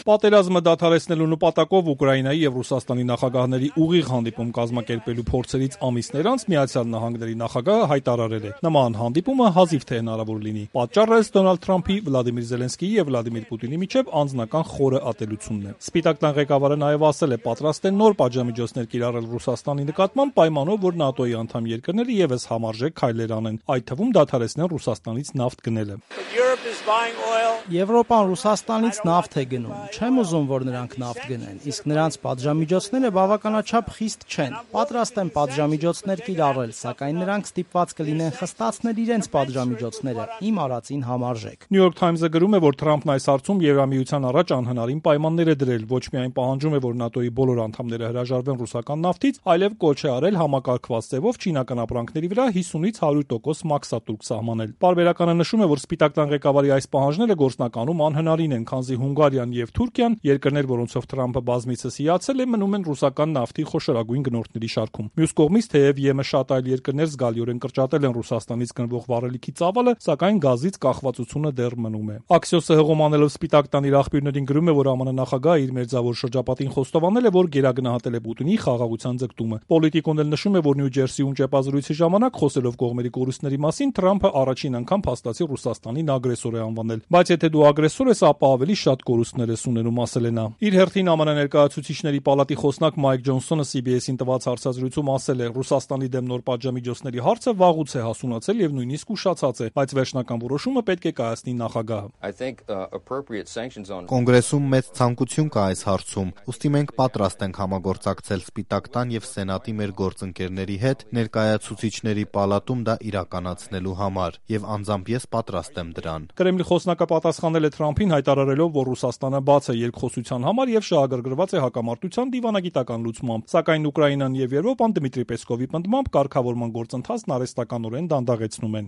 Պատերազմը դադարեցնելու նպատակով Ուկրաինայի եւ Ռուսաստանի նախագահների ուղիղ հանդիպում կազմակերպելու փորձերից ամիսներ անց Միացյալ Նահանգների նախագահը հայտարարել է. նման հանդիպումը հազիվ թե հնարավոր լինի։ Պատճառը Դոնալդ Թրամփի, Վլադիմիր Զելենսկիի եւ Վլադիմիր Պուտինի միջև անձնական խորը ատելությունն է։ Սպիտակ տան ղեկավարը նաեւ ասել է, պատրաստ է նոր պատժամիջոցներ կիրառել Ռուսաստանի նկատմամբ պայմանով, որ ՆԱՏՕ-ի անդամ երկրները եւս համարժեք քայլեր անեն, այդ թվում դադարեցնեն Ռուսաստանից նավթ գնելը։ Եվրոպան Ռուսաստանից նավթ է գնում։ Չեմ ուզում, որ նրանք նավթ գնեն, իսկ նրանց պատժամիջոցները բավականաչափ խիստ չեն։ Պատրաստ են պատժամիջոցներ կիրառել, սակայն նրանք ստիպված կլինեն խստացնել իրենց պատժամիջոցները իմ արածին համարժեք։ New York Times-ը գրում է, որ Թրամփն այս հարցում Եվրամիության առաջ անհնարին պայմաններ է դրել, ոչ միայն պահանջում է, որ ՆԱՏՕ-ի բոլոր անդամները հրաժարվեն ռուսական նավթից, այլև կոչ է արել համակարգված ձևով չինական ապրանքների վրա 50-ից 100% մաքսատուրք սահմանել։ Պարբերականը նշում է, որ Սպիտակ տան ղեկավարի այս պահանջները գործնականում անհնարին են, քանզի Հունգարիան եւ Թուրքիան, երկրներ, որոնցով Թրամփը բազմիցս հիացել է, մնում են ռուսական նավթի խոշորագույն գնորդների շարքում։ Մյուս կողմից, թեև ԵՄ շատ այլ երկրներ զգալիորեն կրճատել են Ռուսաստանից գնվող վառելիքի ծավալը, սակայն գազից կախվածությունը դեռ մնում է։ Axios-ը հղումանելով Սպիտակ տան իր աղբյուրներին գրում է, որ ԱՄՆ նախագահը իր մերձավոր շրջապատին խոստովանել է, որ գերագնահատել է Պուտինի խաղաղության ձգտումը։ Պոլիտիկոն էլ նշում է, որ Նյու Ջերսիում ճեպազրույցի ժամանակ խոսելով կողմերի կորուստների մասին Թրամփը առաջին անգամ փաստացի Ռուսաստանին ագրեսոր է անվանել։ Բայց եթե դու ագրեսոր ես, ապա ավելի շատ կորուստներ ես ունենում, ասել է նա։ Իր հերթին ԱՄՆ ներկայացուցիչների պալատի խոսնակ Մայք Ջոնսոնը CBS-ին տված հարցազրույցում ասել է. Ռուսաստանի դեմ նոր պատժամիջոցների հարցը վաղուց է հասունացել եւ նույնիսկ ուշացած է, բայց վերջնական որոշումը պետք է կայացնի նախագահը։ Կոնգրեսում մեծ ցանկություն կա այս հարցում, ուստի մենք պատրաստ ենք համագործակցել Սպիտակ տան եւ Սենատի մեր գործընկերների հետ ներկայացուցիչների պալատում դա իրականացնելու համար եւ անձամբ ես պատրաստ եմ դրան։ Կրեմլի խոսնակը պատասխանել է Թրամփին հայտարարելով, որ Ռուսաստանը բաց է երկխոսության համար եւ շահագրգռված է հակամարտության դիվանագիտական լուծմամբ, սակայն Ուկրաինան եւ Եվրոպան Դմիտրի Պեսկովի պնդմամբ կարգավորման գործընթացն արհեստականորեն դանդաղեցնում են։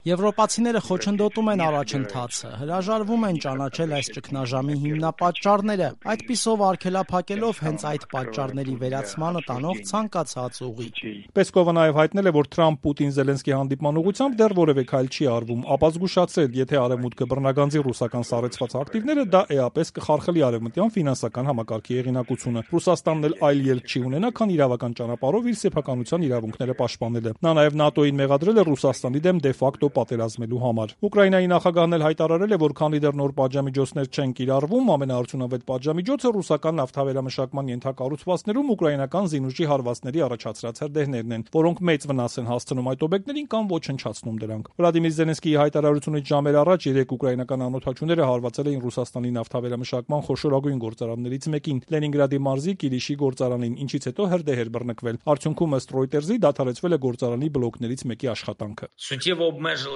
Եվրոպացիները խոչընդոտում են առաջընթացը, հրաժարվում են ճանաչել այս ճգնաժամի հիմնապատճառները, այդպիսով արգելափակելով հենց այդ պատճառների վերացմանը տանող ցանկացած ուղի։ Պեսկովը նաեւ հայտնել է, որ Թրամփ-Պուտին-Զելենսկի հանդիպման ուղղությամբ դեռ որևէ քայլ չի արվում, ապա զգուշացրել, եթե Արևմուտքը բռնագանձի ռուսական սառեցված ակտիվները, դա էապես կխարխլի արևմտյան ֆինանսական համակարգի հեղինակությունը։ Ռուսաստանն էլ այլ ելք չի ունենա, քան իրավական ճանապարհով իր սեփականության իրավունքները պաշտպանելը։ Նա նաեւ ՆԱՏՕ-ին մեղադրել է Ռուսաստանի դեմ դե-ֆակտո պատերազմելու համար։ Ուկրաինայի նախագահն էլ հայտարարել է, որ քանի դեռ նոր պատժամիջոցներ չեն կիրառվում, ամենաարդյունավետ պատժամիջոցը ռուսական նավթավերամշակման ենթակառուցվածքներում ուկրաինական զինուժի հարվածների առաջացրած հրդեհներն են, որոնք մեծ վնաս են հասցնում այդ օբյեկտներին կամ ոչնչացնում դրանք։ Վլադիմիր Զելենսկիի հայտարարությունից ժամեր առաջ 3 ուկրաինական անօդաչուները հարվածել էին Ռուսաստանի նավթավերամշակման խոշորագույն գործարաններից մեկին՝ Լենինգրադի մարզի Կիլիշի գործարանին, ինչից հետո հրդեհ էր բռնկվել։ Արդյունքում ըստ Reuters-ի դադարեցվել է գործարանի բլոկներից մեկի աշխատանքը։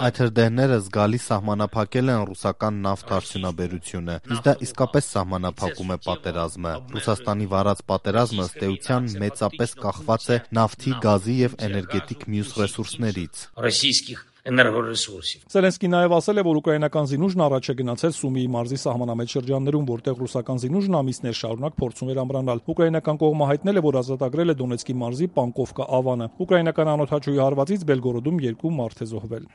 Այդ հրդեհները զգալի սահմանափակել են ռուսական նավթ արդյունաբերությունը, իսկ դա իսկապես սահմանափակում է պատերազմը։ Ռուսաստանի վարած պատերազմը ըստ էության մեծապես կախված է նավթի, գազի եւ էներգետիկ մյուս ռեսուրսներից։ Զելենսկին նաև ասել է, որ ուկրաինական զինուժն առաջ է գնացել Սումիի մարզի սահմանամետ շրջաններում, որտեղ ռուսական զինուժն ամիսներ շարունակ փորձում էր ամրանալ։ Ուկրաինական կողմը հայտնել է, որ ազատագրել է Դոնեցկի մարզի Պանկովկա ավանը։ Ուկրաինական անօդաչուի հարվածից Բելգորոդում 2 մարդ է զոհվել։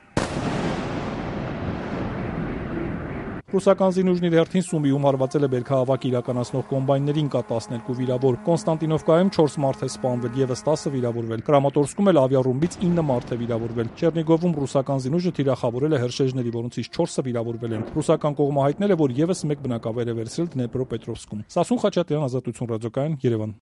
Ռուսական զինուժն իր հերթին Սումիում հարվածել է բերքահավաք իրականացնող կոմբայններին, կա 12 վիրավոր։ Կոնստանտինովկայում 4 մարդ է սպանվել, եւս 10 վիրավորվել։ Կրամատորսկում էլ ավիառումբից 9 մարդ է վիրավորվել։ Չեռնիգովում ռուսական զինուժը թիրախավորել է հրշեջների, որոնցից 4-ը վիրավորվել են։ Ռուսական կողմը հայտնել է, որ եւս 1 բնակավայր է վերցրել Դնեպրոպետրովսկում։ Սասուն Խաչատրյան, Ազատություն ռադիոկայան, Երևան։